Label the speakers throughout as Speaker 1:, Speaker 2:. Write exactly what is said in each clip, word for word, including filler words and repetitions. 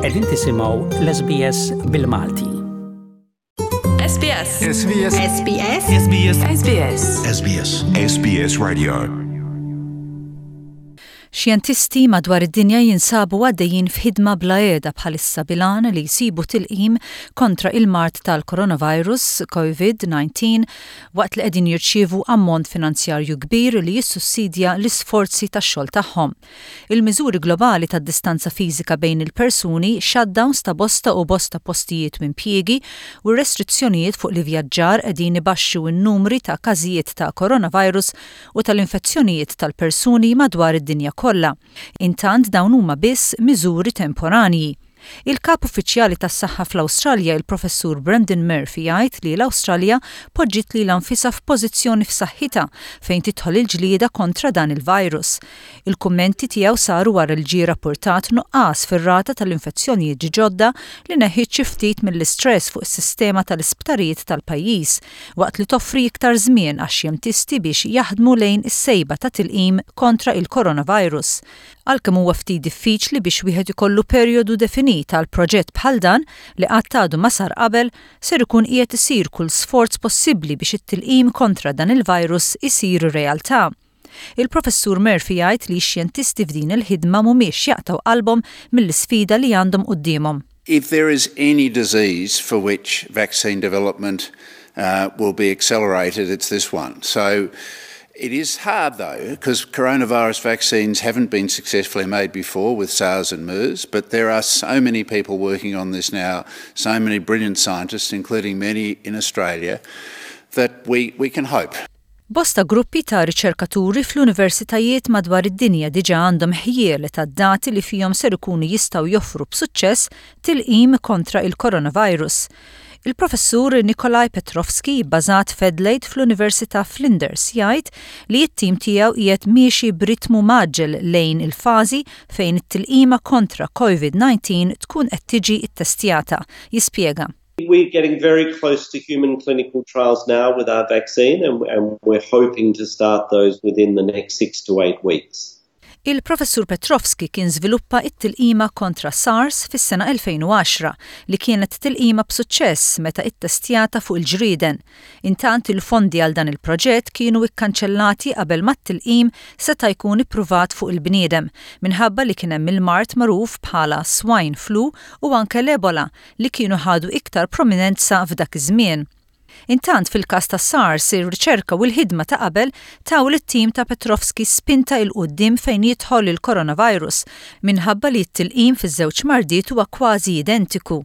Speaker 1: Qegħdin tisimgħu l-S B S bil-Malti.
Speaker 2: S B S.
Speaker 3: S B S.
Speaker 2: S B S.
Speaker 3: S B S.
Speaker 2: S B S.
Speaker 4: S B S. S B S Radio.
Speaker 5: Xjentisti madwar id-dinja jinsabu għaddejjin f'ħidma bla heda bħalissa bil-għan li jsibu tilqim kontra il-mard tal-coronavirus COVID nineteen waqt li qegħdin jirċievu ammont finanzjarju kbir li jissussidja l-isforzi tax-xogħol tagħhom. Il-miżuri globali tad-distanza fiżika bejn il-persuni, shutdowns ta' bosta u bosta postijiet u impjiegi u restrizzjonijiet fuq l-ivvjaġġar qegħdin ibaxxu n-numri ta' każijiet ta' coronavirus u tal-infezzjonijiet tal-persuni madwar id-dinja kollha. Intant dawn huma biss miżuri temporanji. Il-kap uffiċjali tas-saħħa fl-Awstralja, il-Professur Brendan Murphy, jgħid li l-Awstralja poġġiet lilha nfisha f'pożizzjoni f'saħħitha fejn tidħol il-ġlieda kontra dan il-virus. Il-kummenti tiegħu saru wara li ġie rapportat nuqqas fir-rata tal-infezzjonijiet ġodda li neħħiet xi ftit mill-istress fuq is-sistema tal-isptarijiet tal-pajjiż waqt li toffri iktar żmien għax-xjentisti biex jaħdmu lejn is-sejba ta' tilqim kontra il-coronavirus. Għalkemm huwa ftit diffiċli biex wieħed ikollu perjodu definit għal proġett bħal dan li qatt għadu ma sar qabel, ser ikun qiegħed isir kull sforz possibbli biex it-tilqim kontra dan il-virus isir realtà. Il-Professur Murphy jgħid li x-xjentisti f'din il-ħidma mhumiex jaqtaw qalbhom mill-isfida li għandhom quddiemhom.
Speaker 6: If there is any disease for which vaccine development uh, will be accelerated, it's this one. So it is hard, though, because coronavirus vaccines haven't been successfully made before with SARS and MERS, but there are so many people working on this now, so many brilliant scientists, including many in Australia, that we, we can hope.
Speaker 5: Bosta gruppi ta' riċerkaturi fl-universitajiet madwar id-dinja diġa għandhom ħjiel ta' dati li fihom ser ikunu jistgħu joffru b'suċċess tilqim kontra il-coronavirus. Il-Professur Nikolaj Petrovski, bbażat f'Adelaide fl-Università Flinders, jgħid li t-tim tiegħu qiegħed miexi b'ritmu mgħaġġel lejn il-fażi fejn it-tilqima kontra COVID nineteen tkun qed tiġi ttestjata. Jispjega.
Speaker 7: We're getting very close to human clinical trials now with our vaccine, and, and we're hoping to start those within the next six to eight weeks.
Speaker 5: Il-Professur Petrovski kien żviluppa it-tilqima kontra SARS fis-sena elfejn u għaxra li kienet tilqima b'suċċess meta ittestjata fuq il-ġrieden. Intant il-fondi għal dan il-proġett kienu ikkanċellati qabel ma t-tilqim seta' jkun ippruvat fuq il-bniedem minħabba li kien hemm il-mard magħruf bħala swine flu u anke l-Ebola li kienu ħadu iktar prominenza f'dak iż-żmien. Intant fil-każ ta' SARS, ir-riċerka u l-ħidma ta' qabel taw lit-tim ta' Petrovski spinta 'l quddiem fejn jidħol il-coronavirus minħabba li t-tilqim fiż-żewġ mardiet huwa kważi identiku.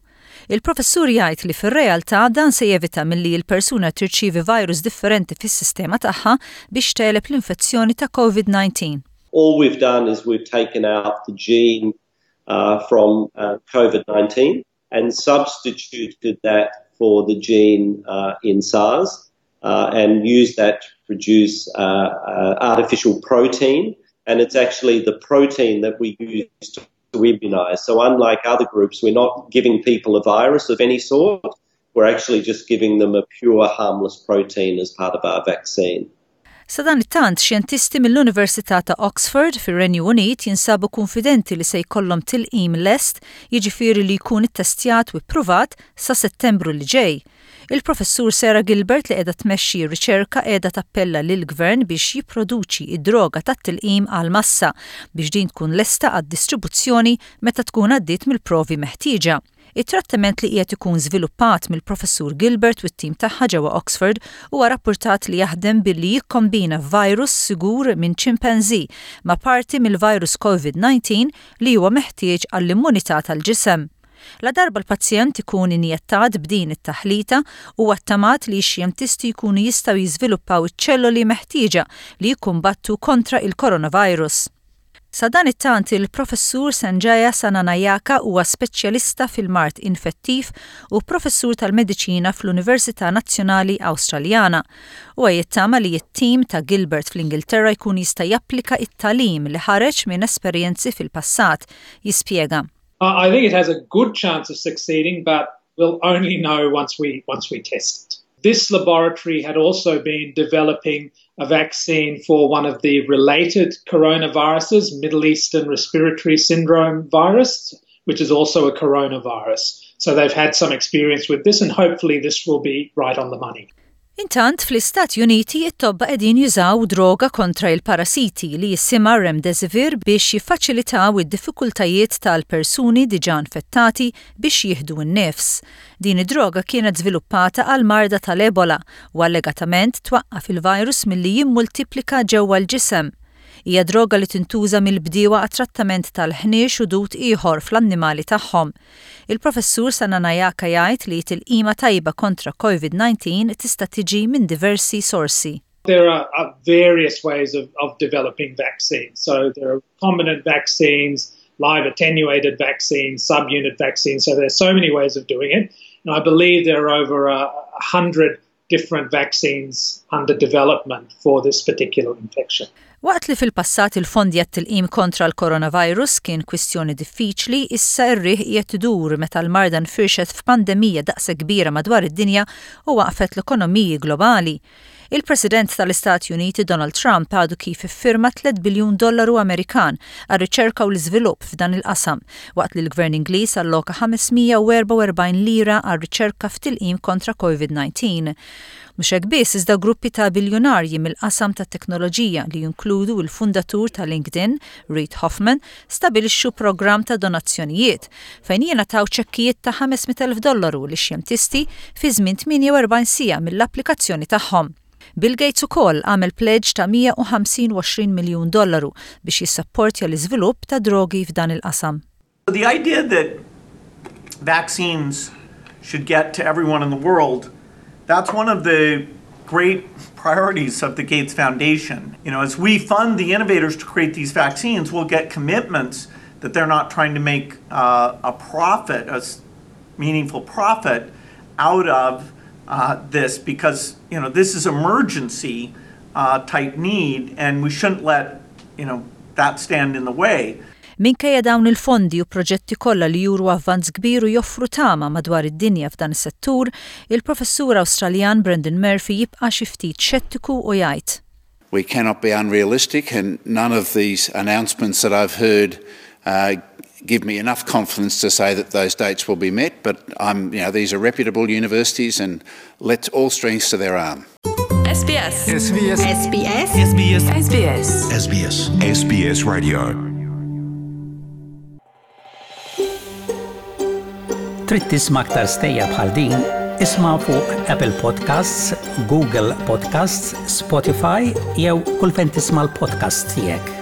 Speaker 5: Il-professur jgħid li fir-realtà dan se jevita milli l-persuna tirċievi virus differenti fis-sistema tagħha biex tegħleb l-infezzjoni ta' COVID nineteen.
Speaker 7: All we've done is we've taken out the gene uh, from uh, COVID nineteen and substituted that for the gene uh, in SARS uh, and used that to produce uh, uh, artificial protein. And it's actually the protein that we use to, to immunize. So unlike other groups, we're not giving people a virus of any sort. We're actually just giving them a pure harmless protein as part of our vaccine.
Speaker 5: Sadanittant, xjentisti mill-Università ta' Oxford fir-Renju Unit jinsabu konfidenti li se jkollhom tilqim lest, jiġifieri li jkun ittestjat u ippruvat, sa Settembru li ġej. Il-Professur Sarah Gilbert, li qiegħda tmexxi r-riċerka, qiegħda tappella lill-gvern biex jipproduċi id-droga tat-tilqim għal massa biex din tkun lesta għad-distribuzzjoni meta tkun għaddiet mill-provi meħtieġa. Il-trattament li qiegħed ikun żviluppat mill-Professur Gilbert u t-tim tagħha ġewwa Oxford huwa rapportat li jaħdem billi jikkombina virus sigur minn chimpanzee ma' parti mill-virus COVID nineteen li huwa meħtieġ għall-immunità tal-ġisem. La darba l-pazjent ikun injettat b'din it-taħlita, huwa ttamat li x-xjentisti jkunu jistgħu jiżviluppaw iċ-ċelloli meħtieġa li jikkumbattu kontra il-coronavirus. Sadanittant, il-Professur Sanjaya Senanayake huwa speċjalista fil-mard infettiv u professur tal-mediċina fl-Università Nazzjonali Awstraljana. U jittama li t-tim ta' Gilbert fl-Ingilterra jkun jista' japplika it-tagħlim li ħareġ minn esperjenzi fil-passat. Jispjega.
Speaker 8: I think it has a good chance of succeeding, but we'll only know once we once we test it. This laboratory had also been developing a vaccine for one of the related coronaviruses, Middle Eastern Respiratory Syndrome virus, which is also a coronavirus. So they've had some experience with this, and hopefully this will be right on the money.
Speaker 5: Intant, fl-Istati Uniti it-tobba qegħdin jużaw droga kontra il-parasiti li jisimha Remdesivir biex jiffaċilitaw id-diffikultajiet tal-persuni diġà infettati biex jieħdu n-nifs. Din id-droga kienet żviluppata għal marda tal-Ebola u allegatament twaqqaf il-virus milli jimmultiplika ġewwa l-ġisem. Hija droga li tintuża mill-bdiewa għat-trattament tal-ħniex u dut ieħor fl-annimali tagħhom. Il-professur Senanayake jgħid li tilqima tajba kontra COVID nineteen tista' tiġi minn diversi sorsi.
Speaker 8: There are uh, various ways of, of developing vaccines. So there are recombinant vaccines, live attenuated vaccines, subunit vaccines. So there's so many ways of doing it. And I believe there are over a, a hundred different vaccines under development for this particular infection.
Speaker 5: Waqt li fil-passat il-fondi għat-tilqim kontra l-coronavirus kien kwistjoni diffiċli, issa r-riħ qiegħed idur meta l-marda nfirxet f'pandemija daqs kbira madwar id-dinja u waqfet l-ekonomiji globali. Il-President tal-Istati Uniti Donald Trump għadu kif iffirma tliet biljun dollaru Amerikan għal riċerka u l-iżvilupp f'dan il-qasam, waqt li l-Gvern Ingliż alloka ħames mija u erbgħa u erbgħin lira għal riċerka f'tilqim kontra COVID nineteen. Mhux hekk biss, iżda gruppi ta' biljunarji mill-qasam ta' teknoloġija li jinkludu il-fundatur ta' LinkedIn, Reid Hoffman, stabilixxu programm ta' donazzjonijiet fejn jingħataw ċekkijiet ta' ħames mitt elf dollaru lix xjentisti fi żmien tmienja u erbgħin siegħa mill-applikazzjoni tagħhom. Bill Gates ukoll għamel pledge ta' mija u ħamsin miljun dollaru biex jissapportja l-iżvilupp ta' drogi f'dan il-qasam.
Speaker 3: The idea that vaccines should get to everyone in the world, that's one of the great priorities of the Gates Foundation. You know, as we fund the innovators to create these vaccines, we'll get commitments that they're not trying to make uh, a profit, a meaningful profit out of uh, this because, you know, this is emergency uh, type need and we shouldn't let, you know, that stand in the way.
Speaker 5: Minkejja dawn il-fondi u proġetti kollha li juru avvanz kbir u joffru tama madwar id-dinja f'dan is-settur, il-professur Awstraljan Brendan Murphy jibqa' xi ftit xettiku u jgħid.
Speaker 6: We cannot be unrealistic, and none of these announcements that I've heard uh, give me enough confidence to say that those dates will be met. But I'm, you know, these are reputable universities, and let's all strengths to their arm.
Speaker 2: S B S.
Speaker 9: S B S.
Speaker 2: S B S.
Speaker 9: S B S.
Speaker 2: S B S.
Speaker 4: S B S. S B S Radio.
Speaker 1: Trid tisma' aktar stejjer bħal din? Isma' fuq Apple Podcasts, Google Podcasts, Spotify jew kull fejn tisma' l-podcast tiegħek.